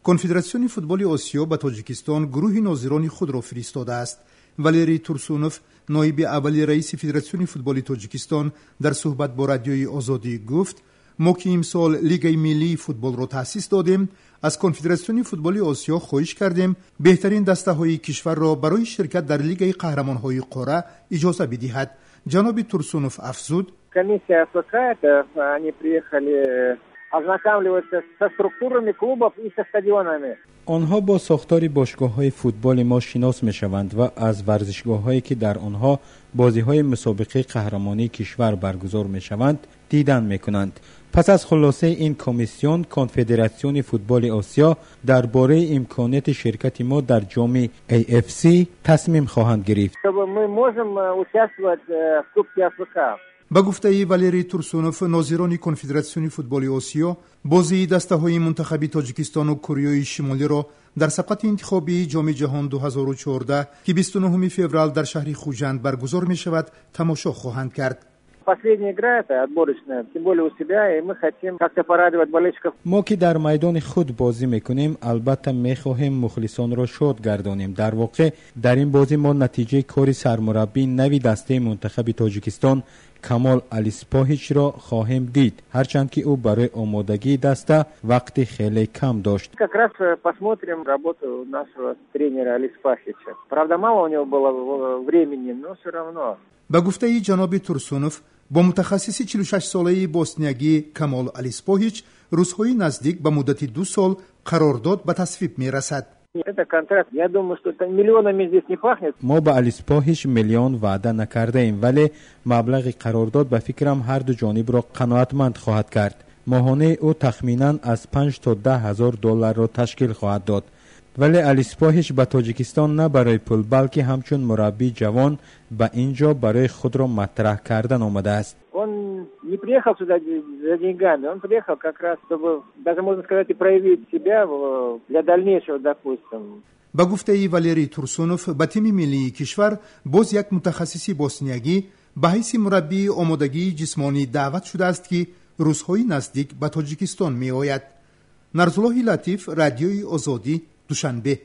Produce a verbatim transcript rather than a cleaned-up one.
Конфедератсиони футболи Осиё ба Тоҷикистон гурӯҳи нозирони худро фиристодааст. Валерий Турсунов, ноиби аввали раиси Федератсиони футболи Тоҷикистон, дар суҳбат бо Радиои Озодӣ гуфт: мо ки имсол Лигаи миллии футболро таъсис додем, аз Конфедератсиони футболи Осиё хоҳиш кардем беҳтарин дастаҳои кишварро барои ширкат дар Лигаи қаҳрамонҳои қора иҷоза бидиҳад. Ҷаноби Турсунов афзуд: Комиссия А Ф К, это они приехали ознакомливаться со структурами клубов и со стадионами. Онҳо бо сохтори бошгоҳҳои футболи мо шинос мешаванд ва аз варзишгоҳҳое, ки дар онҳо бозиҳои мусобиқаи қаҳрамонии кишвар баргузор мешаванд, дидан мекунанд. Пас аз хулосаи ин комиссион, Конфедератсиони футболи Осиё дар бораи имконияти ширкати мо дар ҷоми A F C тасмим хоҳанд гирифт. Чтобы мы можем э, участвовать э, в Кубке А Ф К. Ба гуфтаи Валерий Турсунов, нозирони Конфедератсиони футболи Осиё бозии дастаҳои мунтахаби Тоҷикистону Кореяи Шимолиро дар сабқати интихобии Ҷоми ҷаҳон ду ҳазору чордаҳ, ки бисту нӯҳуми феврал дар шаҳри Хуҷанд баргузор мешавад, тамошо хоҳанд кард. Последняя игра, это отборочная, тем более у себя, и мы хотим как-то порадовать болельщиков. Мо ки дар майдони худ бозӣ мекунем, албатта мехоҳем мухлисонро шод гардонем. Дар воқеъ, дар ин бозӣ мо натиҷаи кори сармураббии нави дастаи мунтахаби Тоҷикистон Камол Алиспоҳичро хоҳем дид, ҳарчанд ки ӯ барои омодагии даста вақти хеле кам дошт. Как раз э, посмотрим работу нашего тренера Алиспахича. Правда, мало у него было э, времени, но все равно. Ба гуфтаи ҷаноби Турсунов, бо мутахассиси чилу шаш солаи босниягӣ Камол Алиспоҳич рӯзҳои наздик ба муддати ду сол қарордод ба тасвиб мерасад. Это контракт. Я думаю, что это миллионами здесь не пахнет. Мо ба Алиспоҳич миллион ваъда накардаем, вале маблағи қарордод, ба фикрам, ҳарду ҷонибро қаноатманд хоҳад кард. Моҳонаи ӯ тахминан аз панҷ то даҳ ҳазор долларро ташкил хоҳад дод, вале Алиспоҳич ба Тоҷикистон на барои пул, балки ҳамчун мураббии ҷавон ба ин ҷо барои худро матраҳ кардан омадааст. Он не приехал сюда за деньгами, он приехал как раз, чтобы, даже можно сказать, и проявить себя для дальнейшего, допустим. Ба гуфтаи Валерий Турсунов, ба тими миллии кишвар боз як мутахассиси босниягӣ ба ҳайси мураббии омодагии ҷисмонӣ даъват шудааст, ки рӯзҳои наздик ба Тоҷикистон меояд. Нарзуллоҳи Латиф, Радиои Озодӣ, Душанбе.